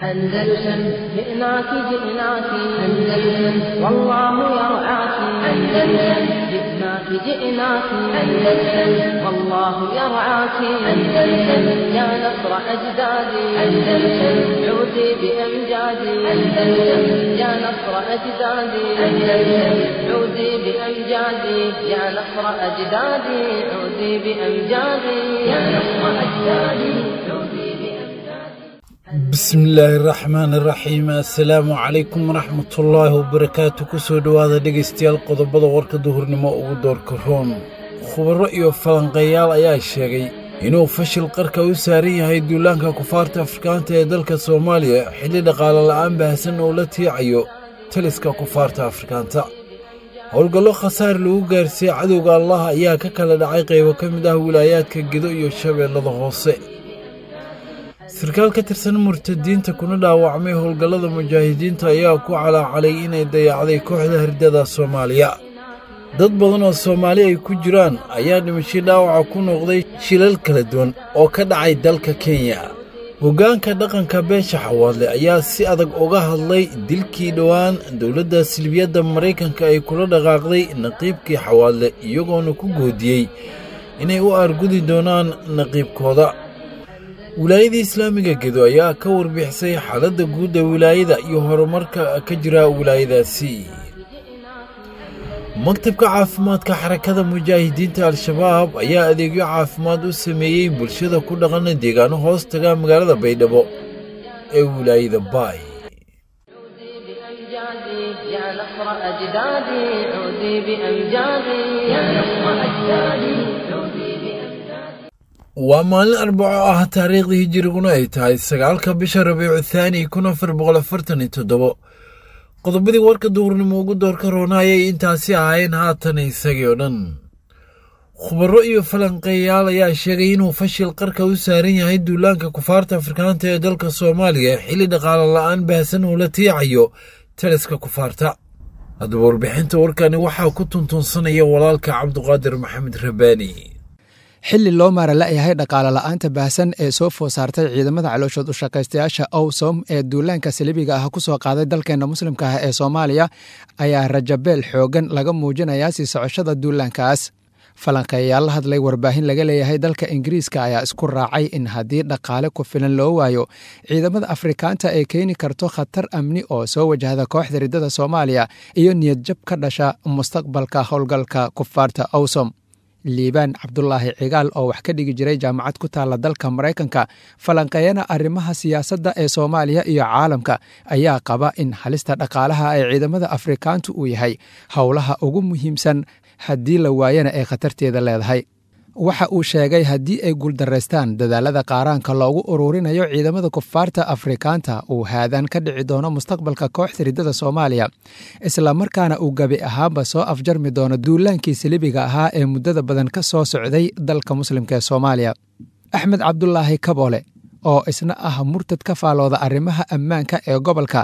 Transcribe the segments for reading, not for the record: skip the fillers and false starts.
أندلسن جئناك جئناك أندلسن والله يرعاك أندلسن جئناك جئناك أندلسن والله يرعاك أندلسن يا نصر أجدادي أندلسن عودي بأمجادي أندلسن يا نصر أجدادي أندلسن عودي بأمجادي يا نصر أجدادي عودي بأمجادي يا نصر أجدادي عودي. Bismillaahi raxmaani raxiim. Assalaamu calaykum waraxmatullaahi wabarakaatu. Kusoo dhowaada dhegaystayaal qodobada warka duhurnimo ugu doorka roon. Khubaro iyo falanqeeyaal ayaa sheegay inuu fashil qarka u saaran yahay duulaanka kufaarta afrikaanta ee dalka Soomaaliya, xilli dhaqaale la'aan baahsan oo la tiicayo taliska kufaarta afrikaanta. Howlgallo khasaar lagu gaarsiiyey cadowga Allah ayaa ka kala dhacay qaybo ka mid ah wilaayaadka Gedo iyo Shabeellada Hoose. Sarkaal ka tirsan murtadiinta kuna dhaawacmay howlgallada mujaahidiinta ayaa ku calaacalay inay dayacday kooxda herdada Soomaaliya. Dad badan oo Soomaali ay ku jiraan ayaa dhimashay dhaawaca ku noqday shilal kala duwan oo ka dhacay dalka Kenya. Hoggaanka dhaqanka beesha Xawaadle ayaa si adag uga hadlay dilkii dhowaan dowladda silbiyadda Maraykanka ay kula dhaqaaqday naqiibkii Xawaadle, iyagoona ku goodiyey inay u aargudi doonaan naqiibkooda. Wilaayada islaamiga Gedo ayaa ka warbixisay xaaladda guud ee wilaayada iyo horumarka ka jira wilaayadaasi. Maktabka caafimaadka Xarakada Mujaahidiinta Al-Shabaab ayaa adeegyo caafimaad u sameeyey bulshada ku dhaqan deegaano hoos taga magaalada Baydhabo ee wilaayada Baay. عودي بأمجادي يا نصر أجدادي عودي بأمجادي يا نصر أجدادي عودي بأمجادي. Waa maalin Arbaco ah, taariikhdii hijiriguna ay tahay 9-ka bisha Rabiicu Thaani 1447. Qodobadii warka duhurnimo ugu doorka roona ayay intaasi ahaayeen, haatan isagii oo dhan. Khubaro iyo falanqeeyaal ayaa sheegay inuu fashil qarka u saaran yahay duulaanka kufaarta afrikaanta ee dalka Soomaaliya, xilli dhaqaale la'aan baahsan uu la tiicayo taliska kufaarta. Haddaba warbixinta warkani waxaa ku tuntuunsanaya walaalka Cabduqaadir Maxamed Rabaani. Xilli loo maara la'yahay dhaqaale la'aanta baahsan ee soo food saartay ciidamada calooshood u shaqaystayaasha Owsom ee duulaanka saliibiga ah ku soo qaaday dalkeenna muslimka ah ee Soomaaliya, ayaa rajabeel xoogan laga muujinayaa sii socoshada duulaankaas. Falanqeeyaal la hadlay warbaahin laga leeyahay dalka Ingiriiska ayaa isku raacay in haddii dhaqaale ku filan loo waayo ciidamada afrikaanta ay keeni karto khatar amni oo soo wajahda kooxda riddada Soomaaliya iyo niyadjab ka dhasha mustaqbalka howlgalka kufaarta Owsom. Liibaan Cabdulaahi Cigaal oo wax ka dhigi jiray jaamacad ku taalla dalka Maraykanka, falanqeeyana arrimaha siyaasadda ee Soomaaliya iyo caalamka, ayaa qaba in halista dhaqaalaha ee ciidamada afrikaantu uu yahay howlaha ugu muhiimsan, haddii la waayana ay khatarteeda leedahay. Waxa uu sheegay haddii ay guuldaraystaan dadaalada qaaraanka loogu ururinayo ciidamada kufaarta afrikaanta, uu haadaan ka dhici doono mustaqbalka kooxda riddada Soomaaliya, islamarkaana uu gabi ahaanba soo afjarmi doono duulaankii salibiga ahaa ee muddada badan ka soo socday dalka muslimka ee Soomaaliya. Axmed Cabdulaahi Kaboole oo isna ah murtad ka faalooda arrimaha ammaanka ee gobolka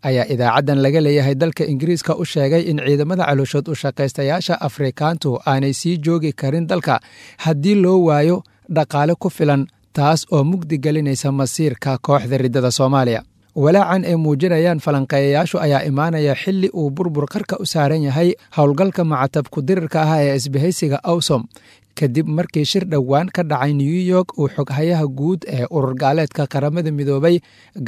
ayaa idaacaddan laga leeyahay dalka Ingiriiska u sheegay in ciidamada calooshood u shaqaystayaasha afrikaantu aanay sii joogi karin dalka haddii loo waayo dhaqaale ku filan, taas oo mugdi gelinaysa masiirka kooxda riddada Soomaaliya. Walaacan ay muujinayaan falanqeeyayaashu ayaa imaanaya xilli uu burbur qarka u saaran yahay howlgalka macatab ku-dirirka ah ee isbahaysiga Awsom, kadib markii shir dhowaan ka dhacay New York uu xoghayaha guud ee urur gaaleedka Qaramada Midoobay,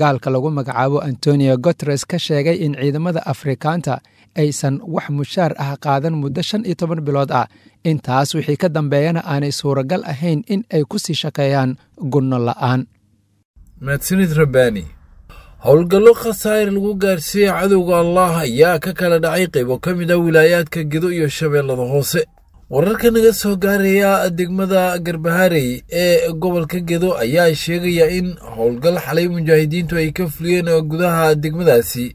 gaalka lagu magacaabo Antonio Guteres, ka sheegay in ciidamada afrikaanta aysan wax mushaar ah qaadan muddo 15 bilood ah, intaas wixii ka dambeeyana aanay suuragal ahayn in ay ku sii shaqeeyaan gunno la'aan. Mahadsanid Rabbaani. Howlgallo khasaar lagu gaarsiiyey cadowga Allah ayaa ka kala dhacay qaybo ka mid ah wilaayaadka Gedo iyo Shabeellada Hoose. Wararka naga soo gaaraya degmada Garbaharey ee gobolka Gedo ayaa sheegaya in howlgal xalay mujaahidiintu ay ka fuliyeen gudaha degmadaasi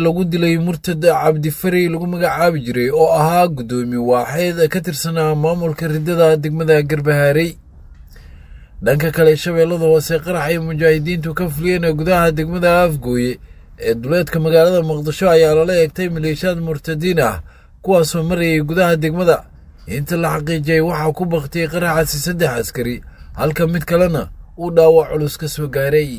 lagu dilay murtad Cabdifarey lagu magacaabi jiray oo ahaa guddoomiye waaxeed ka tirsanaa maamulka riddada degmada Garbaharey. Dhanka kale, Shabeellada Hoose, qarax ay mujaahidiintu ka fuliyeen gudaha degmada Afgooye ee duleedka magaalada Muqdisho ayaa lala eegtay maleeshiyaad murtadiin ah kuwaasoo marayay gudaha degmada. Inta la xaqiijiyay waxaa ku baktiyey qaraxaasi 3 askari, halka mid kalena uu dhaawac culus ka soo gaaray.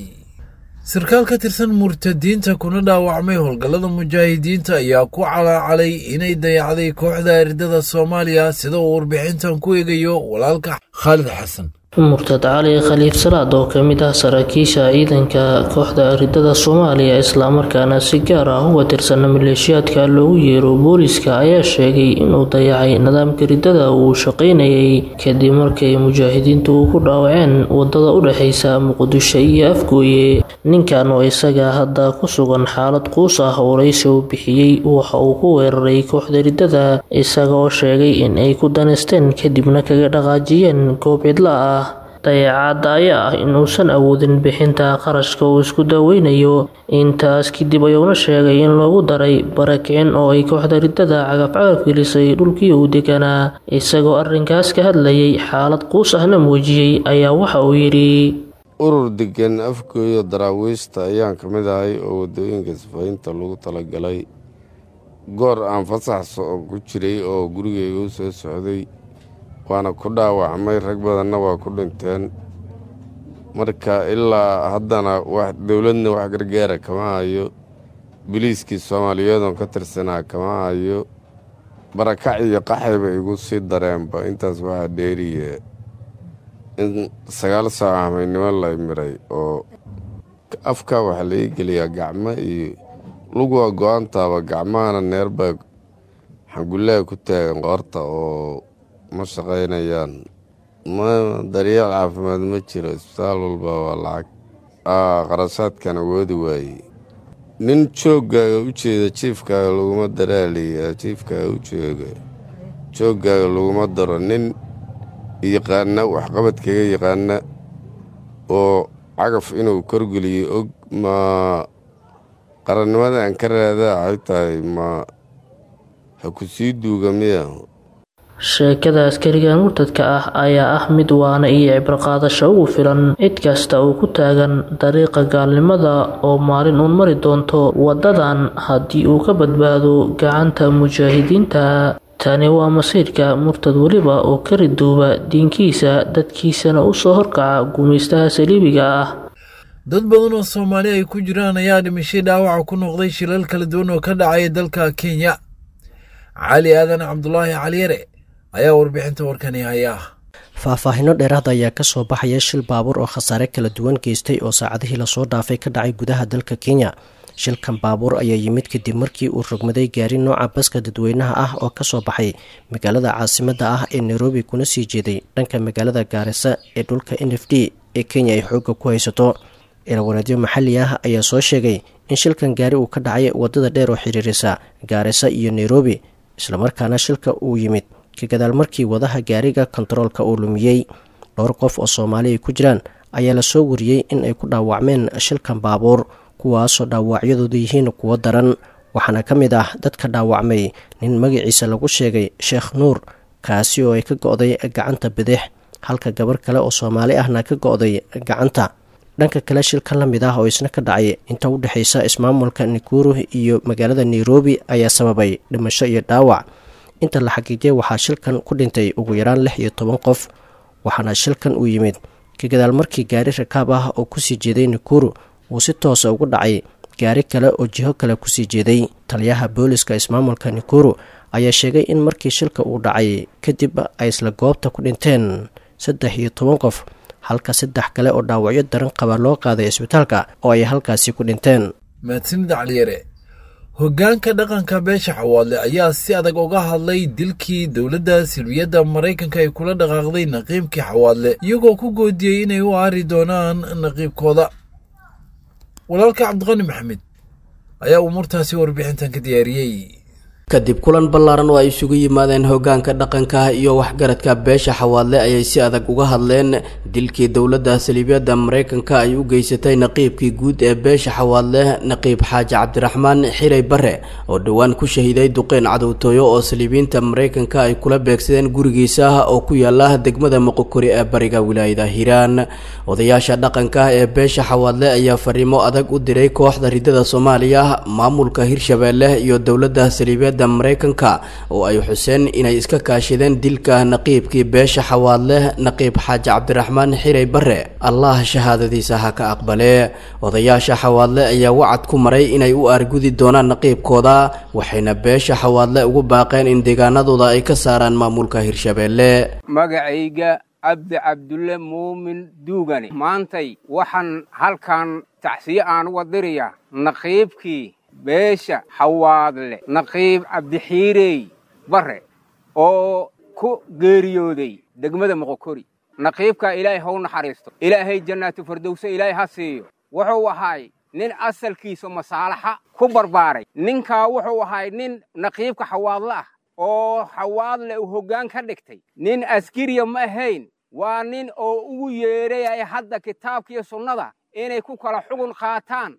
Sarkaal ka tirsan murtadiinta kuna dhaawacmay howlgallada mujaahidiinta ayaa ku calaacalay inay dayacday kooxda ridada Soomaaliya, sida uu warbixintan ku eegayo walaalka Khaalid Xasan. Murtad Cali Khaliif Salaad oo ka mid ah saraakiisha ciidanka kooxda ridada Soomaaliya, islamarkaana si gaar ah uga tirsan maleeshiyaadka loogu yeero booliska, ayaa sheegay inuu dayacay nidaamka ridada uu shaqaynayay kadib markay mujaahidiintu ku dhaawaceen wadada u dhexeysa Muqdisho iyo Afgooye. Ninkan oo isaga hadda ku sugan xaalad quus ah, waraysi uu bixiyey waxa uu ku weeraray kooxda ridada, isaga oo sheegay in ay ku daneysteen kadibna kaga dhaqaajiyeen goob cidla ah. Dayacaadda ayaa ah in uusan awoodin bixinta qarashka uu isku daaweynayo. Intaas kadib ayuuna sheegay in loogu daray barakicin oo ay kooxda ridada cagaf-cagaf gelisay dhulkii uu deganaa. Isagoo arrinkaas ka hadlayay, xaalad quus ahna muujiyey, ayaa waxa uu yidhi: Urur degan Afgooyo Daraawiishta ayaan ka mid ahay oo waddooyinka sifaynta lagu talagalay. Goor aan fasax ku jiray oo gurigayga u soo socday waana ku dhaawacmay, rag badanna waa ku dhinteen. Marka ilaa haddana wax dowladna wax gargaara kama hayo, biliiskii Soomaaliyeedoon ka tirsanaa kama hayo. Barakac iyo qaxayba igu sii dareenba. Intaas waxaa dheeriye in 9 saac hameynimo la miray oo afka waxaa laii geliyaa gacmo iyo luguwa go-aantaaba, gacmahana neerbaa xangullaha ku taagan qoorta oo ma shaqaynayaan. Ma daryeel caafimaad ma jiro, isbitaal walba waa lacag, qarashaadkan awoodi waaye. Nin jooggaaga u jeeda jiifkaaga laguma daraaliya, jiifkaaga u jooga jooggaaga laguma daro. Nin yaqaana waxqabadkaga yaqaana oo cagaf inuu korgeliyo og, ma qarannimada aan ka raadaa waxay tahay ma ha ku sii duuga miya? Sheekada askarigan murtadka ah ayaa ah mid waana iyo cibro qaadasho ugu filan cid kasta oo ku taagan dariiqa gaalnimada oo maalin uun mari doonto wadadan haddii uu ka badbaado gacanta mujaahidiinta. Tani waa masiirka murtad weliba oo ka riduuba diinkiisa, dadkiisana u soo horkaca gumaystaha saliibiga ah. Dad badan oo Soomaali ay ku jiraan ayaa dhimashay dhaawaca ku noqday shilal kala duwan oo ka dhacaya dalka Kenya. Cali Aadan Cabdulaahi Caliyare ayaa warbixinta warkani haya. Faahfaahino dheeraada ayaa kasoo baxaya shil baabuur oo khasaare kala duwan geystay oo saacadihii lasoo dhaafay ka dhacay gudaha dalka Kenya. Shilkan baabuur ayaa yimid kadib markii uu rogmaday gaari nooca baska dadweynaha ah oo kasoo baxay magaalada caasimadda ah ee Nairobi kuna sii jeeday dhanka magaalada Gaarisa ee dhulka NFD ee Kenya ay xoogga ku haysato. Ilawareedyo maxalli ah ayaa soo sheegay in shilkan gaari uu ka dhacay wadada dheer oo xiriirisa Gaarisa iyo Nairobi, islamarkaana shilka uu yimid ka gadaal markii wadaha gaariga kontaroolka uu lumiyey. Dhowr qof oo Soomaali ay ku jiraan ayaa lasoo wariyey in ay ku dhaawacmeen shilkan baabuur, kuwaasoo dhaawacyadoodu yihiin kuwo daran. Waxaana ka mid ah dadka dhaawacmay nin magaciisa lagu sheegay Sheekh Nuur, kaasi oo ay ka go'day gacanta bidix, halka gabar kale oo Soomaali ahna ka go'day gacanta. Dhanka kale, shilkan la mid ah oo isna ka dhacay inta u dhexaysa ismaamulka Nikuru iyo magaalada Nairobi ayaa sababay dhimasho iyo dhaawac. Inta la xaqiijiyay waxaa shilkan ku dhintay ugu yaraan 16 qof, waxaana shilkan uu yimid ka gadaal markii gaari rakaab ah oo kusii jeeday Nikuru uu si toosa ugu dhacay gaari kale oo jiho kale kusii jeeday. Taliyaha booliska ismaamulka Nikuru ayaa sheegay in markii shilka uu dhacay kadib ay isla goobta ku dhinteen 13 qof, halka saddex kale oo dhaawacyo daran qaba loo qaaday isbitaalka oo ay halkaasi ku dhinteen. Mahadsanid Caliyare. Hoggaanka dhaqanka beesha Xawaadle ayaa si adag uga hadlay dilkii dowladda silbiyadda Maraykanka ay kula dhaqaaqday naqiibkii Xawaadle, iyagoo ku goodiyey inay u aari doonaan naqiibkooda. Walaalka Cabdiqani Maxamed ayaa umuurtaasi warbixintan ka diyaariyey. Kadib kulan ballaaran oo ay isugu yimaadeen hoggaanka dhaqanka iyo waxgaradka beesha Xawaadle ayay si adag uga hadleen dilkii dowladda saliibiyadda Maraykanka ay u geysatay naqiibkii guud ee beesha Xawaadle, Naqiib Xaaji Cabdiraxmaan Xiray Bare, oo dhowaan ku shahiiday duqeyn cadowtooyo oo saliibiyiinta Maraykanka ay kula beegsadeen gurigiisa oo ku yaala degmada Moqokori ee bariga wilaayada Hiiraan. Odayaasha dhaqanka ee beesha Xawaadle ayaa fariimo adag u diray kooxda ridada Soomaaliya, maamulka Hirshabeelle iyo dowladda saliibiyadda saliibiyadda Maraykanka oo ay xuseen inay iska kaashadeen dilka naqiibkii beesha Xawaadle, Naqiib Xaaji Cabdiraxmaan Xiray Bare, Allah shahaadadiisa ha ka aqbalee. Odayaasha Xawaadle ayaa wacad ku maray inay u aargudi doonaan naqiibkooda, waxayna beesha Xawaadle ugu baaqeen in deegaanadooda ay ka saaraan maamulka Hirshabeelle. Magacayga Cabdi Cabdulle Muumin Duugane. Maantay waxaan halkan tacsiye aan uga dirayaa naqiibkii beesha Xawaadle, Naqiib Cabdixiirey Bare, oo ku geeriyooday degmada Moqokori. Naqiibkaa Ilaahay how naxariisto, Ilaahay jannaatu fardowse Ilaahay ha siiyo. Wuxuu ahaay nin asalkiisa masaalaxa ku barbaaray. Ninkaa wuxuu ahaay nin naqiibka Xawaadle ah oo Xawaadle uu hoggaan ka dhigtay. Nin askariya ma ahayn, waa nin oo ugu yeedhay hadda kitaabkiiyo sunnada inay ku kala xugun qaataan,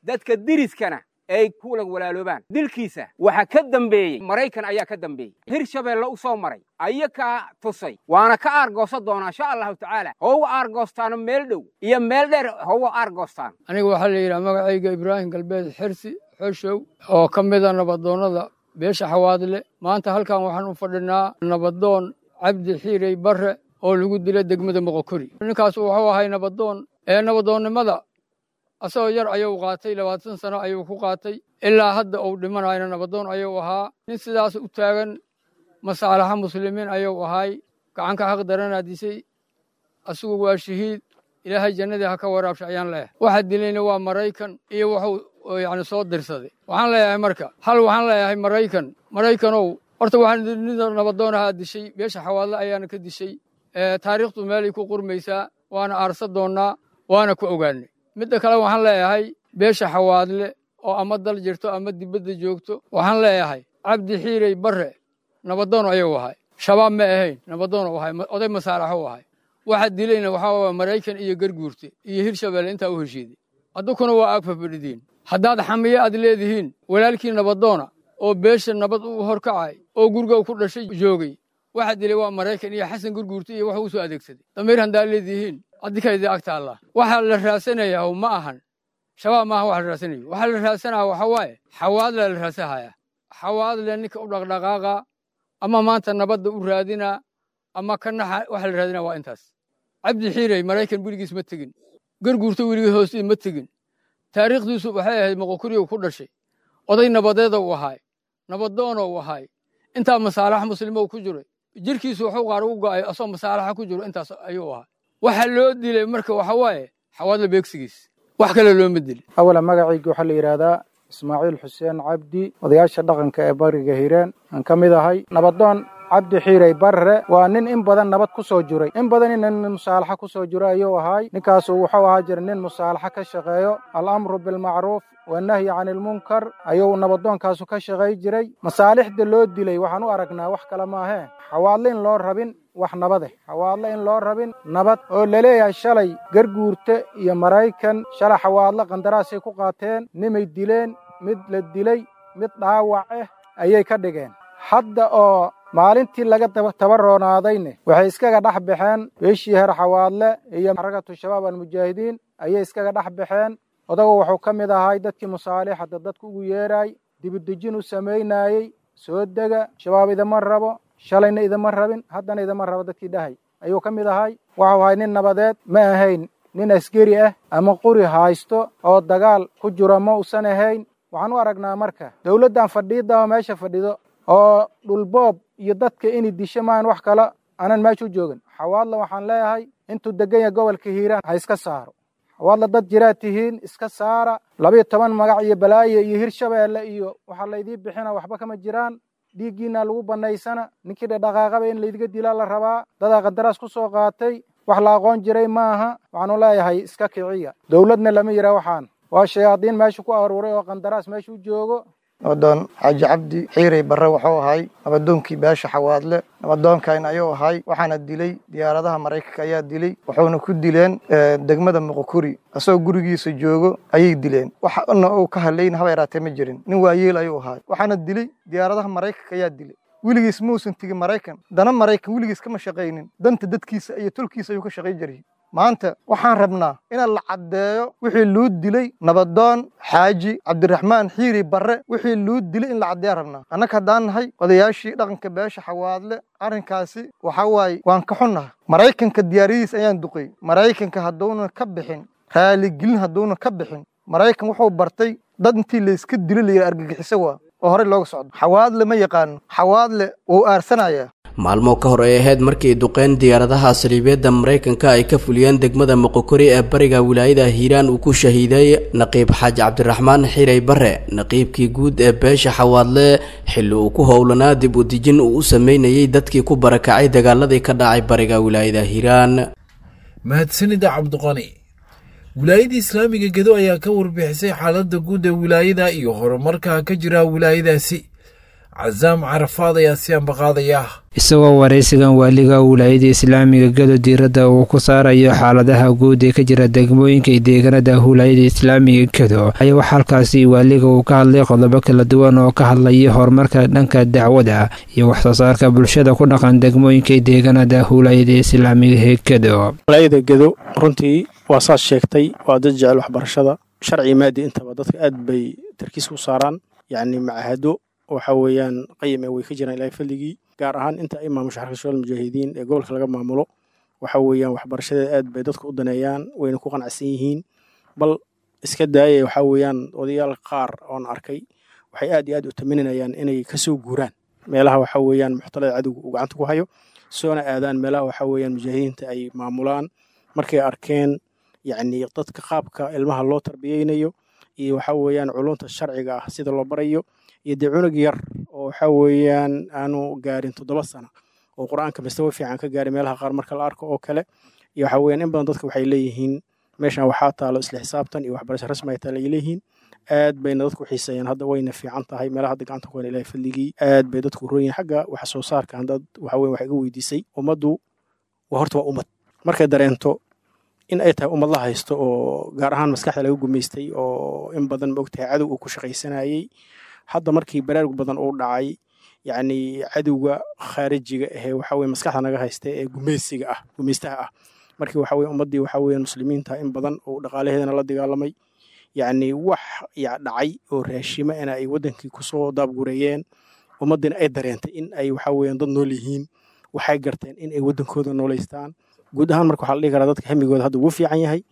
dadka deriskana ay kula walaaloobaan. Dilkiisa waxaa ka dambeeyey Maraykan ayaa ka dambeeyey, Hirshabeelle u soo maray ayakaa tusay, waana ka aargoosan doonaa insha Allahu tacaala. Houga aargoostaano meel dhow iyo meel dheer houga aargoostaan. Aniga waxaa la yidhaha magacayga Ibraahim Galbeed Xirsi Xoshow, oo ka mida nabadoonnada beesha Xawaadle. Maanta halkan waxaan u fadhinaa nabadoon Cabdi Xiirey Barre oo lagu dilay degmada Moqokori. Ninkaas wuxuu ahay nabadoon ee nabadoonnimada asagoo yar ayuu qaatay, 20 sano ayuu ku qaatay, ilaa hadda uu dhimanayna nabadoon ayuu ahaa. Nin sidaas u taagan masaalaxa muslimiin ayuu ahay. Gacanka xaq daranaa disay, asigu waa shahiid, Ilaahay jannadii ha ka waraabsha ayaan leeyahay. Waxa dilayna waa Maraykan iyo wuxuu yacni soo dirsaday. Waxaan leeyahay marka hal, waxaan leeyahay Maraykan, Maraykanow, horta waxaan nin nabadoon ahaa dishay, beesha Xawaadle ayaana ka dishay. Taariikhdu meelay ku qurmaysaa, waana aarsa doonnaa, waana ku ogaanay. Midda kale waxaan leeyahay beesha Xawaadle oo ama dal jirto ama dibadda joogto, waxaan leeyahay Cabdi Xiirey Barre nabadoon ayuu ahay, Shabaab ma ahayn, nabadoon uu ahay, oday masaalaxo u ahay. Waxa dilayna waxaa waa Maraykan iyo Garguurte iyo Hirshabeelle intaa u heshiiday. Adunkuna waa aag fafadhidiin. Haddaad xamiye aad leedihiin, walaalkii nabadoona oo beesha nabad u horkacay oo guriga ku dhashay joogay, waxa dilay waa Maraykan iyo Xasan Gurguurte iyo wax uu soo adeegsaday. Damiir haddaad leedihiin, adikayda ag taallaa. Waxaa la raadsanayaa ma ahan Shabaab, maaha waxa la raadsanayo. Waxaa la raadsanaya waxa waaye Xawaadle la raadsanaya. Xawaadle ninka u dhaqdhaqaaqa ama maanta nabadda u raadina ama ka naxa, waxa la raadinaa waa intaas. Cabdi Xiirey Maraykan weligiis ma tegin, Garguurto weligii hoostii ma tegin. Taariikhdiisu waxay ahayd Moqokuriyow ku dhashay, oday nabadeeda uu ahaay, nabadoona uu ahaay, intaa masaalax muslimo ku jiray. Jirkiisu wuxuu qaar ugu go'ay asoo masaalaxa ku jiro, intaas ayuu ahaa. Waxa loo dilay marka waxa waaye Xawaadle beegsigiis, wax kale looma dilin. Awala magacayga waxaa la yidhaahdaa Ismaaciil Xuseen Cabdi, odayaasha dhaqanka ee bariga Hiiraan aan ka mid ahay. Nabadoon Cabdi Xiirey Barre waa nin in badan nabad ku soo jiray, in badan in musaalaxa ku soo jiray ayuu ahaay. Ninkaasu wuxuu ahaa jira nin musaalaxa ka shaqeeyo, alamru bilmacruuf wanahyi can ilmunkar ayuu nabadoonkaasu ka shaqay jiray. Masaalixda loo dilay waxaan u aragnaa wax kale maahee, Xawaadle in loo rabin wax nabade, Xawaadle in loo rabin nabad, oo laleeyahay shalay Garguurte iyo Maraykan shalay Xawaadle qandaraasay ku qaateen, nimay dileen, mid la dilay, mid dhaawac ah ayay ka dhigeen. Hadda oo maalintii laga tabaroonaadayne waxay iskaga dhex baxeen beeshii heer Xawaadle iyo Xarakatu Shabaab Almujaahidiin ayay iskaga dhex baxeen. Odagu wuxuu ka mid ahay dadkii musaalixada dadku ugu yeeraay, dibudejin u samaynayey, soo dega, Shabaab idama rabo, shalayna idama rabin, haddana idama rabo dadkii dhahay ayuu ka mid ahay. Wuxuu ahay nin nabadeed, ma ahayn nin askari ah ama quri haysto oo dagaal ku jiro, ma usan ahayn. Waxaan u aragnaa marka dowladdan fadhiidaba meesha fadhido oo dhulboob iyo dadka inay disho maahan wax kale aanan meesha u joogin. Xawaadle waxaan leeyahay intuu degan yahay gobolka Hiiraan ha iska saaro. Xawaadle dad jiraad tihiin, iska saara. 12 magac iyo balaaye iyo Hirshabeelle iyo waxaa laydii bixina waxba kama jiraan. Dhiiggiina lagu bannaysana, ninkii dhaqaaqaba in laydiga dilaa la rabaa. Dadaa qandaraas ku soo qaatay, wax la aqoon jiray maaha. Waxaanu leeyahay iska kiciya, dowladna lama yidhaa, waxaan waa shayaadiin meesha ku aruuray oo qandaraas meesha u joogo. Nabadoon Xaaji Cabdi Xiirey Barre wuxuu ahay nabadoonkii beesha Xawaadle, nabadoonkan ayuu ahay. Waxaana dilay diyaaradaha Maraykanka ayaa dilay, wuxuuna ku dileen degmada Muqokuri, asagoo gurigiisa joogo ayay dileen. Waxna uu ka hadlayn haba yaraatee ma jirin, nin waayeel ayuu ahay. Waxaana dilay diyaaradaha Maraykanka ayaa dilay. Weligiis muusan tegin Maraykan, dana Maraykan weligiis kama shaqaynin, danta dadkiisa iyo tolkiisa ayuu ka shaqay jiray. Maanta waxaan rabnaa inaan la caddeeyo wixii luu dilay nabadoon Xaaji Cabdiraxmaan Xiiri Barre. Wixii luu dilay in la caddeeya rabnaa. Annaga haddaan nahay odayaashii dhaqanka beesha Xawaadle, arrinkaasi waxaa waaye waan ka xunnahay. Maraykanka diyaaradiis ayaan duqay. Maraykanka hadduuna ka bixin raaligelin, hadduuna ka bixin, Maraykan wuxuu bartay dad intii layska dilo la yidhi argagixiso waa oo horey looga socdo. Xawaadle ma yaqaano, Xawaadle wuu aarsanayaa. Maalmo ka hor ay ahayd markii duqeyn diyaaradaha saliibeedda Maraykanka ay ka fuliyeen degmada Moqokori ee bariga wilaayada Hiiraan uu ku shahiiday naqiib Xaaji Cabdiraxmaan Xiray Bare, naqiibkii guud ee beesha Xawaadle, xilli uu ku howlanaa dib u dejin uu u sameynayay dadkii ku barakacay dagaaladii ka dhacay bariga wilaayada Hiiraan. Mahadsanida Cabdiqani. Wilaayada Islaamiga Gedo ayaa ka warbixisay xaaladda guud ee wilaayada iyo horumarka ka jira wilaayadaasi. Casaam Carafaad ayaa si ambaqaadaya. Isagoo waraysigan waaliga wilaayada Islaamiga Gado diiradda uu ku saarayo xaaladaha guud ee ka jira degmooyinka iyo deegaanada wilaayada Islaamiga Gado ayaa waxaa halkaasi waaliga uu ka hadlay qodobo kala duwan oo ka hadlaya horumarka dhanka dacwada iyo waxsoo saarka bulshada ku dhaqan degmooyinka iyo deegaanada wilaayada Islaamiga ee Gado. Wilaayada Gado runtii waa saas sheegtay, waa dad jecel waxbarashada, sharci maadi intaba dadka aad bay tarkiis u saaraan, yacni macahado waxa weeyaan qayime way ka jiraan Ilaahay fadligii, gaar ahaan inta ay maamusho Xarka Shabaab Mujaahidiin ee gobolka laga maamulo. Waxa weeyaan waxbarashadeeda aad bay dadku u daneeyaan, wayna ku qanacsan yihiin. Bal iska daayay, waxa weeyaan odayaal qaar oon arkay waxay aad iyo aad u taminayaan inay kasoo guuraan meelaha waxa weeyaan muxtalada cadowga uu gacanta ku hayo, soona aadaan meelaha waxa weeyaan mujaahidiinta ay maamulaan, markay arkeen yacni dadka qaabka ilmaha loo tarbiyeynayo iyo waxa weeyaan culunta sharciga ah sida loo barayo, iyo dee cunug yar oo waxa weeyaan aanu gaarin 7 sano oo Qur-aanka mastawa fiican ka gaaray meelaha qaar marka la arko oo kale. Iyo waxa weeyaan in badan dadka waxay leeyihiin meeshan waxaa taalo isla xisaabtan iyo waxbarasho rasmi ay taalo ay leeyihiin. Aad bayna dadku xiiseeyaan hadda, wayna fiican tahay meelaha hadda gacanta ku hayna Ilaahay fadligii, aad bay dadku roon yihiin xagga wax soo saarka. Haddaad waxa weeyaan wax iga weydiisay, ummaddu waa horta waa ummad markay dareento in ay tahay ummad la haysto oo gaar ahaan maskaxda laga gumaystay oo in badan ma ogtahay cadow uu ku shaqaysanayay. Hadda markii baraarug badan uu dhacay, yacni cadowga khaarijiga ahee waxa weye maskaxda naga haysta ee gumaysiga ah, gumaystaha ah, markii waxa weye ummaddii waxa weeyaan muslimiinta in badan oo dhaqaalaheedana la dagaalamay, yacni wax ya dhacay oo raashima ina ay waddankii kusoo daabgureeyeen, ummaddiina ay dareentay in ay waxa weeyaan dad nool yihiin, waxay garteen in ay waddankooda noolaystaan guud ahaan. Marka waxaa la dhihi karaa dadka hamigooda hadda wuu fiican yahay,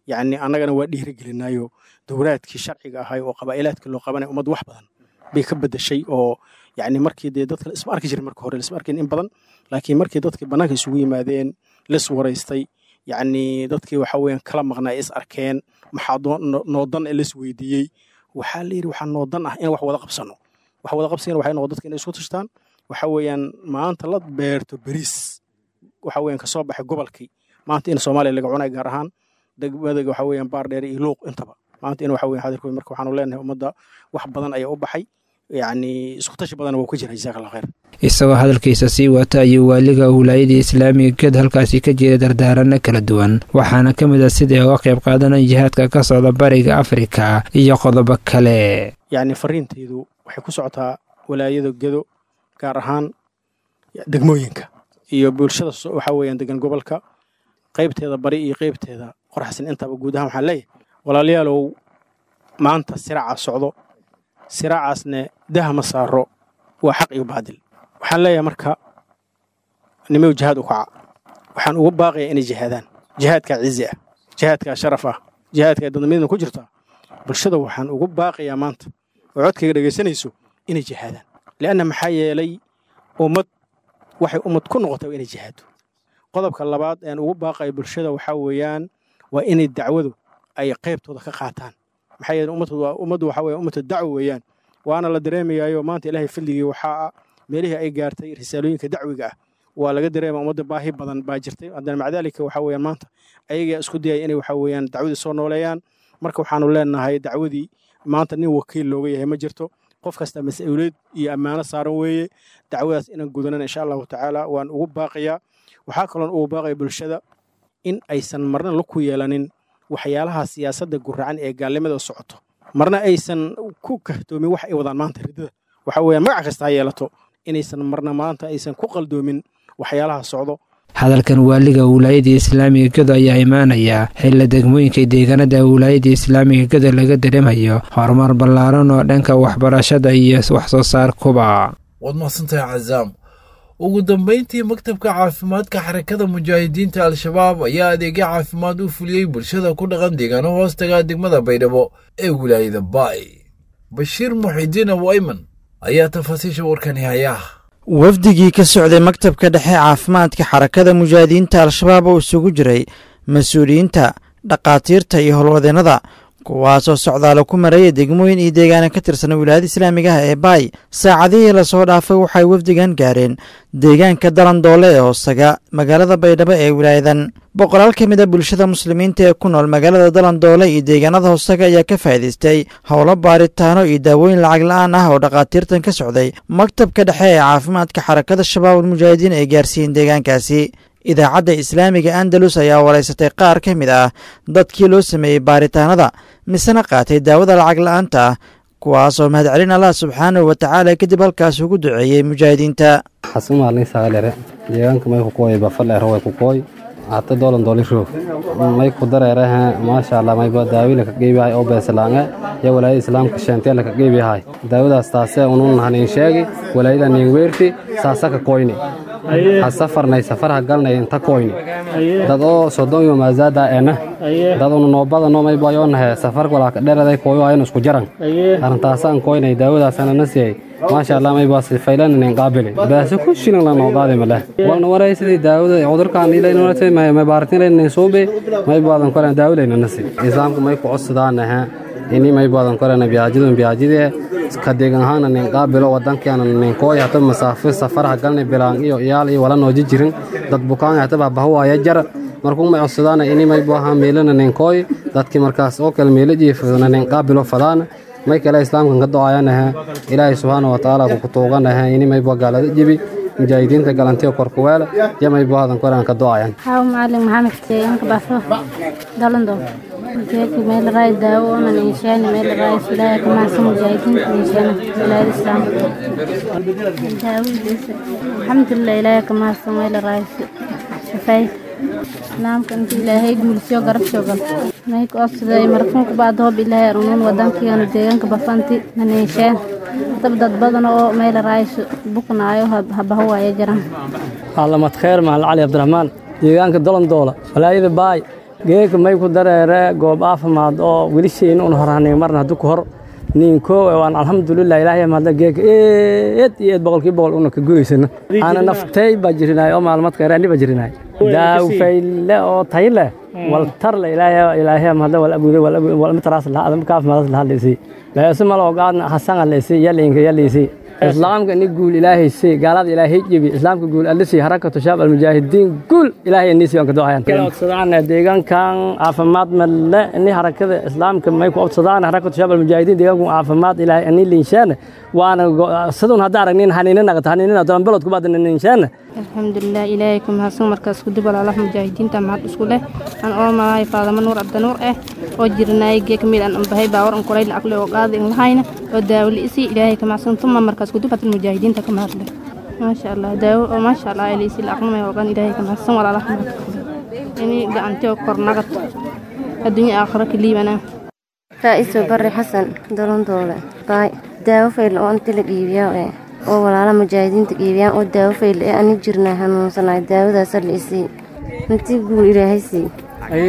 yacni annagana waa dhiirigelinaayo dowlaadkii sharciga ahay oo qabaa'ilaadka loo qabanaya ummadda wax badan bay ka bedeshay, oo yacni markii dee dadka isma arki jirin marka hore, isma arkin in badan, laakiin markii dadkii bannaanka isugu yimaadeen lis waraystay, yacni dadkii waxa weeyaan kala maqnaa is arkeen, maxaa noodan ee lis weydiiyey, waxaa la yidhi waxaa noodan ah in wax wada qabsano. Wax wada qabsigana waxay noqon dadka inay isku tashtaan, waxa weeyaan maanta la beerto bariis waxa weeyaan kasoo baxay gobolkii, maanta in Soomaaliya laga cunay, gaar ahaan degmada waxa weeyaan Baardheer iyo Luuq intaba maanta in waxa weeyaan xadirkooda. Marka waxaanu leenahay ummadda wax badan ayaa u baxay, yacni isku tashi badan wuu ka jira. Jazaak Allah khayr. Isagoo hadalkiisa sii wata ayuu waaliga wilaayada Islaamiga Ged halkaasi ka jeeda dardaarano kala duwan, waxaana ka mid ah sidai uga qayb qaadanaya jihaadka ka socda bariga Afrika iyo qodobo kale. Yacni fariintaydu waxay ku socotaa walaayada Gedo, gaar ahaan degmooyinka iyo bulshada waxa weeyaan degan gobolka qaybteeda bari iyo qaybteeda qorxsan intaba. Guud ahaan waxaan leeyahay walaalayaalow, maanta siraaca socdo, siraacaasne daha ma saaro, waa xaq iyo baadil. Waxaan leeyahay marka nimayu jihaad u kaca, waxaan ugu baaqayaa inay jihaadaan. Jihaadkaa cizi ah, jihaadkaa sharaf ah, jihaadkaa dadnimadiina ku jirtaa. Bulshada waxaan ugu baaqayaa maanta oo codkayga dhegaysanayso inay jihaadaan, li'anna maxaa yeelay ummad waxay ummad ku noqotay waa inay jihaado. Qodobka labaad een ugu baaqayo bulshada waxaa weeyaan waa inay dacwadu ay qaybtooda ka qaataan, maxaa yeelay ummaddu waxaa weeye ummatu dacwo weeyaan, waana la dareemayaayo maanta Ilaahay fadligii waxaa meelihii ay gaartay risaalooyinka dacwiga ah waa laga dareema. Ummadda baahi badan baa jirtay, haddana maca daalika waxaa weeyaan maanta ayagaa isku dayaya inay waxaa weeyaan dacwadii soo nooleeyaan. Marka waxaanu leenahay dacwadii maanta nin wakiil looga yahay ma jirto, qof kasta mas-uuliyad iyo ammaano saaran weeye. Dacwadaas inaan gudanana insha Allahu tacaala waan ugu baaqayaa. Waxaa kaloon ugu baaqaya bulshada in aysan marna la ku yeelanin waxyaalaha siyaasadda guracan ee gaalnimada socoto, marna aysan ku kahtoomin wax ay wadaan maanta riddada, waxa weeyaan magac kasta ha yeelato, inaysan marna maanta aysan ku qaldoomin waxyaalaha socdo. Hadalkan waaliga wilaayada islaamiga Gedo ayaa imaanaya xilla degmooyinka deegaanada wilaayada islaamiga Gedo laga dareemayo horumar ballaaran oo dhanka waxbarashada iyo wax soo saarkuba. Waad mahadsantahay Cazaam. Ugu dambeyntii, maktabka caafimaadka Xarakada Mujaahidiinta Al-Shabaab ayaa adeegyo caafimaad u fuliyey bulshada ku dhaqan deegaano hoostaga degmada Baydhabo ee wilaayada Baay. Bashiir Muxidiin Abu Ayman ayaa tafaasiisha warkani haya. Wafdigii ka socday maktabka dhexe caafimaadka Xarakada Mujaahidiinta Al-Shabaab oo isugu jiray mas-uuliyiinta, dhakhaatiirta iyo howlwadeennada, kuwaasoo socdaalo ku maraya degmooyin iyo deegaana ka tirsan wilaayada islaamiga ah ee Baay, saacadihii lasoo dhaafay waxay wafdigan gaareen deegaanka Dalandoole ee hoostaga magaalada Baydhabo ee wilaayadan. Boqolaal ka mid a bulshada muslimiinta ee ku nool magaalada Dalandoole iyo deegaanada hoostaga ayaa ka faa'iidaystay howlo baaritaano iyo daawooyin lacag la'aan ah oo dhakhaatiirtan ka socday maktabka dhexe ee caafimaadka Xarakada Shabaab Almujaahidiin ay gaarsiiyeen deegaankaasi. Idaacadda Islaamiga Andalus ayaa waraysatay qaar ka mid ah dadkii loo sameeyey baaritaanada misena qaatay daawada lacag la'aanta ah, kuwaasoo mahadcelin Allah subxaanahu wa tacaala kadib halkaas ugu duceeyey mujaahidiinta. Xasumaalin saalere deegaanka may ku kooy bafal way ku kooy hata dolan doli roog may ku dareeraha, maasha Allah, may ba daawila ka qeybahay oo beesalaanga ya walaayada islaamka sheenteel ka qeybahay daawadaas taasee unun hanin sheegi walaayada nin weerti saasa ka kooyni ha safarnay safar ha galnay inta kooyni dad oo 30 iyo maazaada ena dad unu noobada noo may bayoonahe safar walaa ka dheeraday kooyo aynu isku jaran arrintaasaan kooynay daawadaasana na siiyey, maasha Allah, may baas faylan nin qaabili baas ku shilin la noo qaadi male walna waraysidii daawada cudurkan ilayna waraysid may baartin layna suube may baadan koran daawalayna nasi islaamka may ku codsadaanaha ini may baadan koran biyaajidun biyaajidee ka deegan ahaana nin qaabilo wadankeena nin kooy hata masaafo safar ha galnay bilaan iyo iyaal iyo wala nooji jirin dad bukaan hata baahwaaya jar markuu may codsadaana ini may baaha meelana nin kooy dadkii markaas oo kale meelo jiifadana nin qaabilo fadaan may kale islaamkan ka ducaayanaha Ilaahay subxaana wa tacaala ku tuuganaha ini may gaalada jibi mujaahidiinta galantiyo korkuweel iyo may baadan koraan ka ducaayaan. Xaaw Macalin Maxamed, deegaanka Baafo Dalando, geedka meel raay daawo onan inshaani meel raay Ilaahay ka mahadsan mujaahidiinta inshaana wilaayada islaamka daawadiisa, alxamdulilah, Ilaahay ka mahadsan meel raay shafay islaamka inta Ilaahay guulsiyo garab joogan may ku codsaday markuun ku baad hoob Ilaahay arunuun wadankeena deegaanka Bafanti naneesheen dab dad badan oo meel raayso buknaayo habaho waaya jiraan. Caalamad Kheer Mahal Cali Cabdiraxmaan, deegaanka Dolandoola, walaayada Baay. Geeka may ku dareere goob caafimaad oo wiilashayna un horhanay marna hadduu ku hor ninkoo waan alxamdulilah Ilaahay mahadla geeka eed iyo eed 100% una ka gudaysana ana naftay baa jirinaay oo maalmad kheyr ani baa jirinaay daaw fayle oo tayle wal tarle Ilaahay Ilaahay mahadla wal abuude wal wal mataraas la adam kaaf mahadla hadlaysi laasma malo qaadna hasan alaysi yalinka yalaysi islaamka ni guul Ilaahay si gaalada Ilaahay jibi islaamka guul alisi Harakatu Shaab Almujaahidiin guul Ilaahay ni si aan ka ducayaan kala codsadaan deegaankan caafimaad malle ni harakada islaamka may ku codsadaan Harakatu Shaab Almujaahidiin deegaanku caafimaad Ilaahay ni linshaan waana sidoo hadda aragnin hanina naqta hanina doon balad ku badan linshaan. Alxamdulilah, Ilaahay ku mahadsan. Markaas ku dib walaalaha mujaahidiinta mahad isku leh aan oo malaay Faadama Nuur Cabdinuur oo jirnaay geek mid aan bahay baawar aan kulayl aqli oo qaadi in lahayna oo daawli isi Ilaahay ka mahadsan tuma markaas ku dib mujaahidiinta ka mahad leh, maasha Allah, daawo oo maasha Allah ilisi laqma oo qan Ilaahay ka mahadsan walaalaha ini gacantiyo kornaqat adduunyo aakhira kaliibana. Faa'iiso Barri Xasan, Dolandoole, Baay. Daawo fayl oo inta la dhiibiyaa oo walaala mujaahidiinta dhiibiyaan oo daawo fayl ee ani jirnaa xanuunsanaay daawadaasa la isii intii guul Ilaahay sii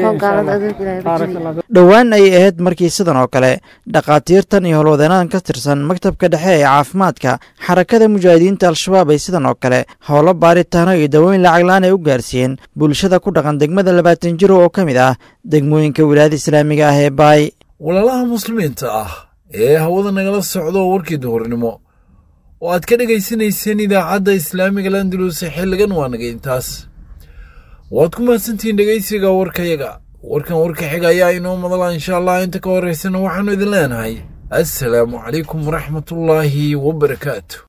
oo gaalada aduunka Ilaahay ku jibi. Dhowaan ayay ahayd markii sidan oo kale dhakhaatiirtan iyo howlwadeennadan ka tirsan maktabka dhexe ee caafimaadka Xarakada Mujaahidiinta Al-Shabaab ay sidan oo kale howlo baaritaano iyo dawooyin lacag la'aan ay u gaarsiiyeen bulshada ku dhaqan degmada 20 Jiro oo ka mid ah degmooyinka wilaayada islaamiga ah ee Baay. Walaalaha muslimiinta ah ee hawada nagala socdo, warkii duhurnimo oo aad ka dhegaysanayseen idaacadda islaamiga Landalus xilligan waa naga intaas. Waad ku mahadsantihiin dhegaysiga warkayaga. Warkan warka xiga ayaa inoo madala insha Allah. Inta ka horeysana waxaanu idin leenahay assalaamu calaykum waraxmatullaahi wabarakaatu.